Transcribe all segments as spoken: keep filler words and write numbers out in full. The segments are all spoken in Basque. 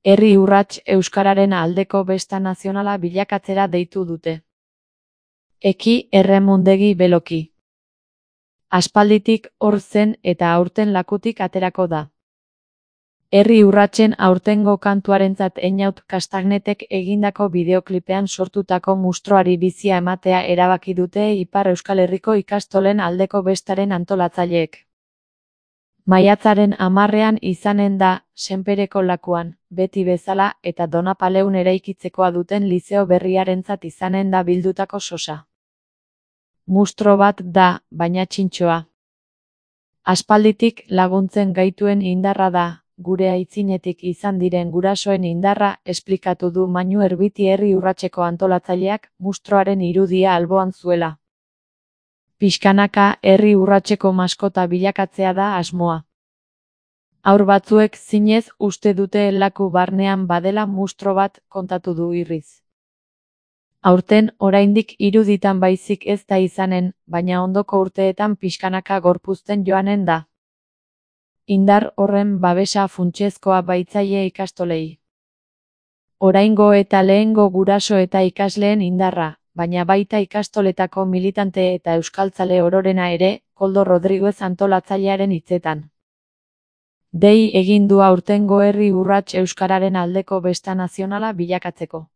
Herri urrats euskararen aldeko besta nazionala bilakatzera deitu dute. Eki erremundegi beloki. Aspalditik hor zen eta aurten lakutik aterako da. Herri urratsen aurtengo kantuarentzat Einaut Kastagnetek egindako bideoklipean sortutako mustroari bizia ematea erabaki dute Ipar Euskal Herriko ikastolen aldeko bestaren antolatzaileek. Maiatzaren hamarrean izanen da, Senpereko lakuan, beti bezala eta Donapaleun eraikitzekoa duten lizeo berriarentzat izanen da bildutako sosa. Mustro bat da, baina txintxoa. Aspalditik laguntzen gaituen indarra da, gure aitzinetik izan diren gurasoen indarra, esplikatu du Mainu Erbiti herri urratseko antolatzaileak mustroaren irudia alboan zuela. Pixkanaka herri urratseko maskota bilakatzea da asmoa. Haur batzuek zinez uste dute laku barnean badela mustro bat, kontatu du Irriz. Aurten oraindik iruditan baizik ez da izanen, baina ondoko urteetan pixkanaka gorpuzten joanen da. Indar horren babesa funtsezkoa baitzaile ikastolei. Oraingo eta lehengo guraso eta ikasleen indarra, baina baita ikastoletako militante eta euskaltzale ororena ere, Koldo Rodriguez antolatzailearen hitzetan. Dei egin du aurtengo herri urrats euskararen aldeko besta nazionala bilakatzeko.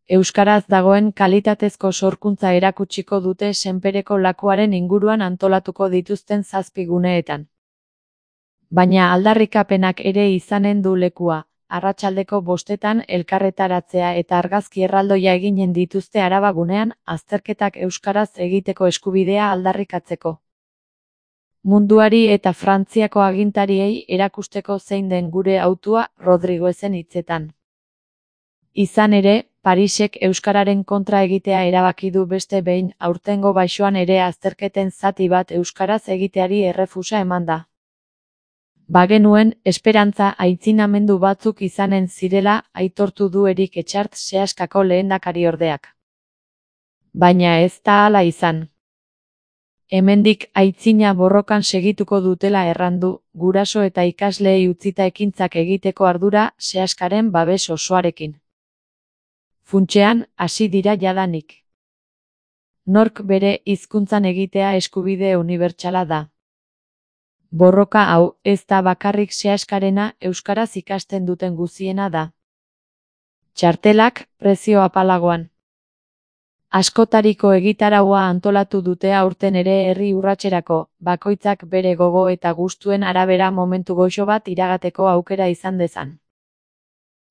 Euskaraz dagoen kalitatezko sorkuntza erakutsiko dute Senpereko lakuaren inguruan antolatuko dituzten zazpi guneetan. Baina aldarrikapenak ere izanen du lekua, arratsaldeko bostetan elkarretaratzea eta argazki erraldoia eginen dituzte Araba gunean, azterketak euskaraz egiteko eskubidea aldarrikatzeko. Munduari eta Frantziako agintariei erakusteko zein den gure hautua, Rodriguezen hitzetan. Izan ere, Parisek euskararen kontra egitea erabaki du beste behin aurtengo baixoan ere azterketen zati bat euskaraz egiteari errefusa eman da. Bagenuen esperantza aitzinamendu batzuk izanen zirela aitortu du Erik Etxart Seaskako lehendakariordeak. Baina ez da hala izan. Hemendik aitzina borrokan segituko dutela errandu, guraso eta ikasleei utzita ekintzak egiteko ardura Seaskaren babes osoarekin. Funtsean, hasi dira jadanik. Nork bere hizkuntzan egitea eskubide unibertsala da. Borroka hau ez da bakarrik Seaskarena euskaraz ikasten duten guziena da. Txartelak prezio apalagoan. Askotariko egitaraua antolatu dute aurten ere herri urratserako, bakoitzak bere gogo eta gustuen arabera momentu goxo bat iragateko aukera izan dezan.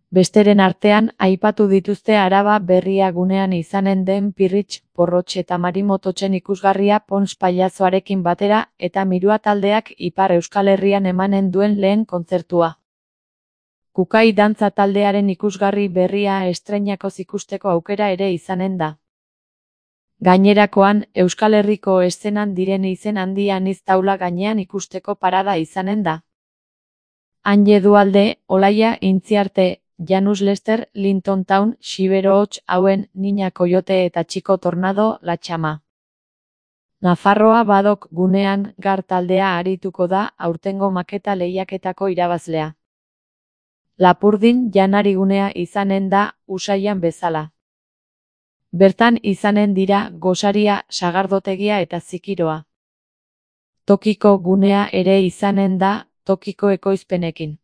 Besteren artean, aipatu dituzte Araba berria gunean izanen den Pirritx, Porrotx eta Marimototxen ikusgarria Pons pailazoarekin batera eta Mirua taldeak Ipar Euskal Herrian emanen duen lehen kontzertua. Kukai dantza taldearen ikusgarri berria estreinakoz ikusteko aukera ere izanen da. Gainerakoan, Euskal Herriko eszenan diren izen handi anitz taula gainean ikusteko parada izanen da. Anje Dualde, Olaia Intziarte, Janus Lester, Linton Town, Xibero Hots, Hauen, Niña Coyote eta Txiko Tornado, La Txama. Nafarroa Badok gunean Gar taldea arituko da aurtengo maketa lehiaketako irabazlea. Lapurdin janari gunea izanen da Usaian bezala. Bertan izanen dira Gosaria, Sagardotegia eta Zikiroa. Tokiko gunea ere izanen da tokiko ekoizpenekin.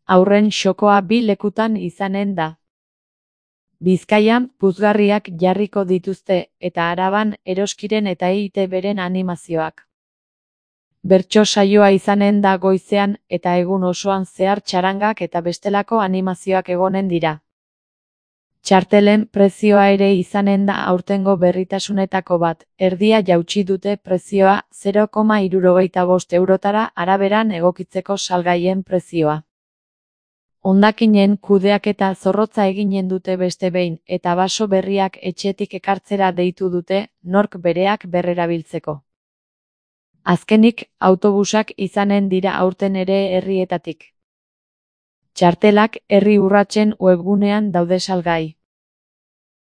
Aurren xokoa bi lekutan izanen da. Bizkaian puzgarriak jarriko dituzte eta Araban Eroskiren eta E I Te Beren animazioak. Bertso saioa izanen da goizean eta egun osoan zehar txarangak eta bestelako animazioak egonen dira. Txartelen prezioa ere izanen da aurtengo berritasunetako bat, erdia jautsi dute prezioa zero koma hirurogeita bost eurotara araberan egokitzeko salgaien prezioa. Hondakinen kudeaketa zorrotza eginen dute beste behin eta baso berriak etxetik ekartzera deitu dute, nork bereak berrerabiltzeko. Azkenik, autobusak izanen dira aurten ere herrietatik. Txartelak herri urratsen webgunean daude salgai.